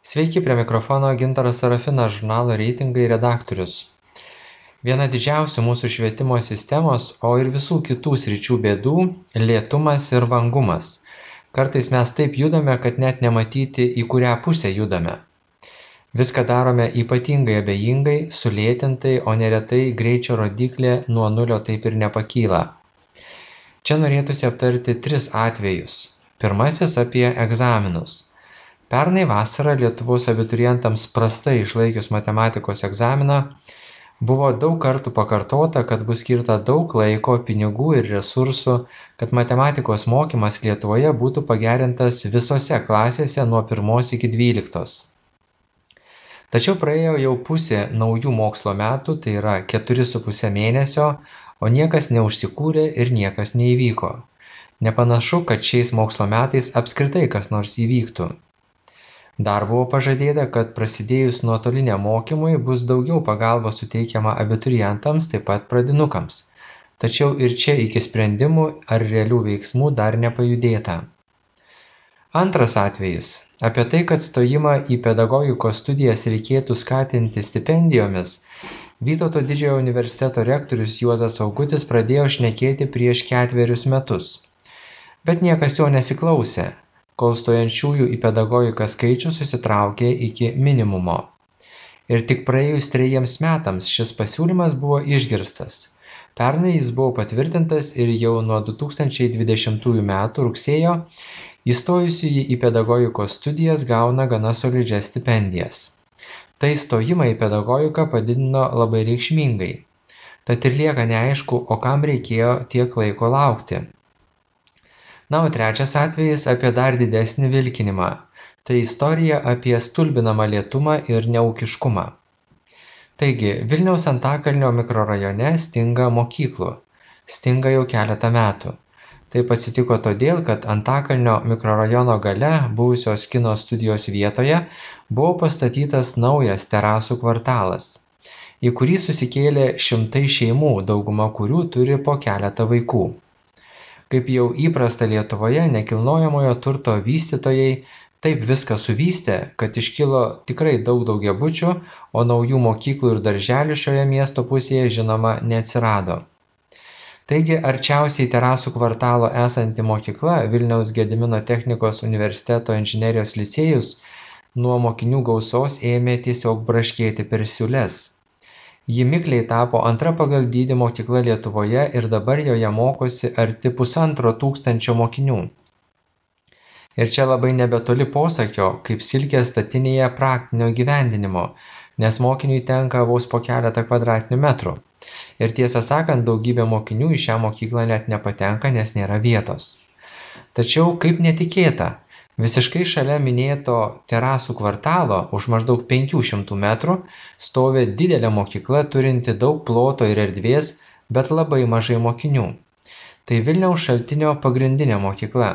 Sveiki, prie mikrofono Gintaras Sarafinas, žurnalo reitingai redaktorius. Viena didžiausių mūsų švietimo sistemos, o ir visų kitų sričių bėdų - lėtumas ir vangumas. Kartais mes taip judame, kad net nematyti, į kurią pusę judame. Viską darome ypatingai abejingai, sulėtintai, o neretai greičio rodiklė nuo nulio taip ir nepakyla. Čia norėtųsi aptarti 3 atvejus. Pirmasis apie egzaminus. Pernai vasarą Lietuvos abiturientams prastai išlaikius matematikos egzaminą buvo daug kartų pakartota, kad bus skirta daug laiko, pinigų ir resursų, kad matematikos mokymas Lietuvoje būtų pagerintas visose klasėse nuo 1 iki 12. Tačiau praėjo jau pusė naujų mokslo metų, tai yra 4,5 mėnesio, o niekas neužsikūrė ir niekas neįvyko. Nepanašu, kad šiais mokslo metais apskritai kas nors įvyktų. Dar buvo pažadėta, kad prasidėjus nuotoliniam mokymui bus daugiau pagalbos suteikiama abiturientams, taip pat pradinukams. Tačiau ir čia iki sprendimų ar realių veiksmų dar nepajudėta. Antras atvejis - apie tai, kad stojimą į pedagogikos studijas reikėtų skatinti stipendijomis, Vytauto Didžiojo universiteto rektorius Juozas Augutis pradėjo šnekėti prieš 4 metus. Bet niekas jo nesiklausė, kol stojančiųjų į pedagogiką skaičius susitraukė iki minimumo. Ir tik praėjus 3 metams šis pasiūlymas buvo išgirstas. Pernai jis buvo patvirtintas ir jau nuo 2020 metų rugsėjo įstojusiųjų į pedagogikos studijas gauna gana solidžias stipendijas. Tai stojimą į pedagogiką padidino labai reikšmingai. Tad ir lieka neaišku, o kam reikėjo tiek laiko laukti. Na, o trečias atvejis apie dar didesnį vilkinimą. Tai istorija apie stulbinamą lėtumą ir neūkiškumą. Taigi, Vilniaus Antakalnio mikrorajone stinga mokyklų. Stinga jau keletą metų. Taip atsitiko todėl, kad Antakalnio mikrorajono gale buvusios kino studijos vietoje buvo pastatytas naujas terasų kvartalas, į kurį susikėlė šimtai šeimų, dauguma kurių turi po keletą vaikų. Kaip jau įprasta Lietuvoje, nekilnojamojo turto vystytojai taip viską suvystė, kad iškilo tikrai daug daugiabučių, o naujų mokyklų ir darželių šioje miesto pusėje žinoma neatsirado. Taigi arčiausiai terasų kvartalo esanti mokykla Vilniaus Gedimino technikos universiteto inžinerijos licėjus nuo mokinių gausos ėmė tiesiog braškėti per siūles. Ji mikliai tapo antra pagal dydį mokykla Lietuvoje ir dabar joje mokosi arti 1,5 mokinių. Ir čia labai nebetoli posakio, kaip silkės statinėje praktinio įgyvendinimo, nes mokiniui tenka vos po keletą kvadratinių metrų. Ir tiesą sakant, daugybė mokinių į šią mokyklą net nepatenka, nes nėra vietos. Tačiau, kaip netikėta, visiškai šalia minėto terasų kvartalo už maždaug 500 metrų stovi didelė mokykla turinti daug ploto ir erdvės, bet labai mažai mokinių. Tai Vilniaus Šaltinio pagrindinė mokykla.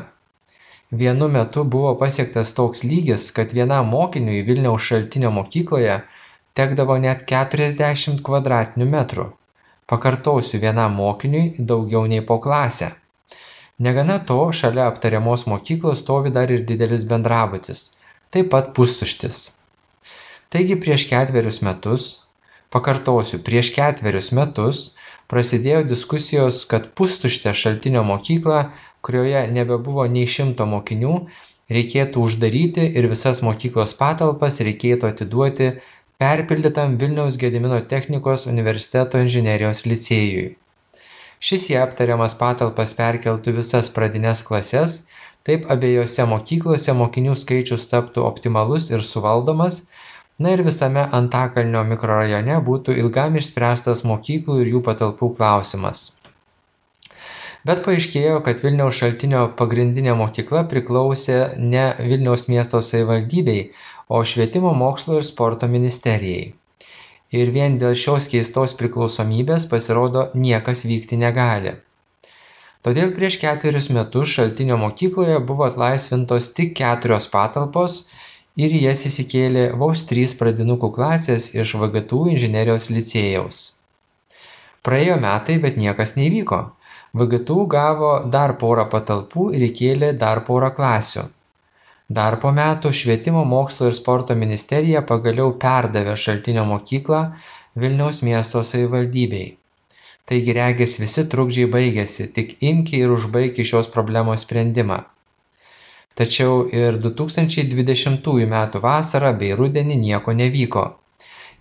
Vienu metu buvo pasiektas toks lygis, kad vienam mokiniui Vilniaus Šaltinio mokykloje tekdavo net 40 kvadratinių metrų. Pakartosiu, vienam mokiniui daugiau nei po klasę. Negana to, šalia aptariamos mokyklos stovi dar ir didelis bendrabutis, taip pat pustuštis. Taigi prieš 4 metus, pakartosiu, prieš 4 metus prasidėjo diskusijos, kad pustuštę Šaltinio mokyklą, kurioje nebebuvo nei 100 mokinių, reikėtų uždaryti ir visas mokyklos patalpas reikėtų atiduoti perpildytam Vilniaus Gedimino technikos universiteto inžinerijos licėjui. Šis į aptariamas patalpas perkeltų visas pradines klases, taip abiejose mokyklose mokinių skaičius taptų optimalus ir suvaldomas, na ir visame Antakalnio mikrorajone būtų ilgam išspręstas mokyklų ir jų patalpų klausimas. Bet paaiškėjo, kad Vilniaus Šaltinio pagrindinė mokykla priklausė ne Vilniaus miesto savivaldybei, o Švietimo mokslo ir sporto ministerijai. Ir vien dėl šios keistos priklausomybės pasirodo niekas vykti negali. Todėl prieš 4 metus Šaltinio mokykloje buvo atlaisvintos tik 4 patalpos ir į jas įsikėlė vos 3 pradinukų klasės iš VGTU inžinerijos licėjaus. Praėjo metai, bet niekas neįvyko. VGTU gavo dar porą patalpų ir įkėlė dar porą klasių. Dar po metų Švietimo mokslo ir sporto ministerija pagaliau perdavė Šaltinio mokyklą Vilniaus miesto savivaldybei. Taigi regis visi trukdžiai baigėsi, tik imki ir užbaigi šios problemos sprendimą. Tačiau ir 2020 m. vasarą bei rudenį nieko nevyko.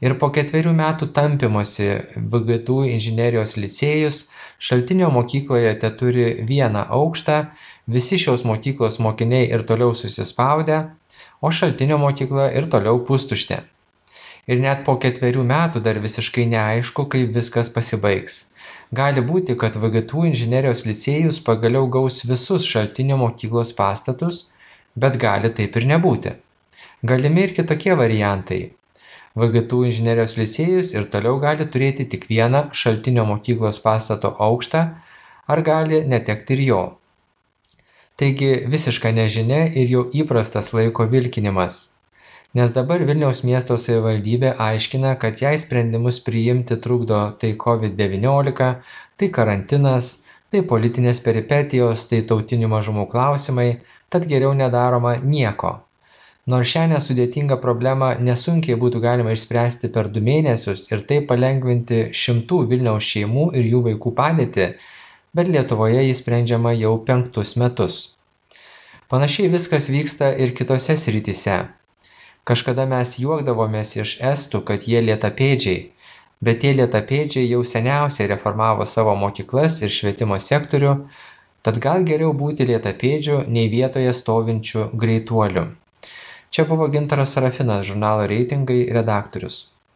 Ir po 4 metų tampymosi VGTU inžinerijos licėjus Šaltinio mokykloje teturi vieną aukštą, visi šios mokyklos mokiniai ir toliau susispaudę, o Šaltinio mokykla ir toliau pustuštė. Ir net po 4 metų dar visiškai neaišku, kaip viskas pasibaigs. Gali būti, kad VGTU inžinerijos licėjus pagaliau gaus visus Šaltinio mokyklos pastatus, bet gali taip ir nebūti. Galimi ir kitokie variantai. VGTU inžinerijos licėjus ir toliau gali turėti tik vieną Šaltinio mokyklos pastato aukštą, ar gali netekti ir jo. Taigi visiška nežinia ir jau įprastas laiko vilkinimas. Nes dabar Vilniaus miesto savivaldybė aiškina, kad jai sprendimus priimti trukdo tai COVID-19, tai karantinas, tai politinės peripetijos, tai tautinių mažumų klausimai, tad geriau nedaroma nieko. Nors šią nesudėtingą problemą nesunkiai būtų galima išspręsti per 2 mėnesius ir taip palengvinti šimtų Vilniaus šeimų ir jų vaikų padėtį, bet Lietuvoje jis sprendžiama jau 5 metus. Panašiai viskas vyksta ir kitose srityse. Kažkada mes juokdavomės iš estų, kad jie lėtapėdžiai, bet tie lėtapėdžiai jau seniausiai reformavo savo mokyklas ir švietimo sektorių, tad gal geriau būti lėtapėdžiu nei vietoje stovinčiu greituoliu. Čia buvo Gintaras Sarafinas, žurnalo Reitingai redaktorius.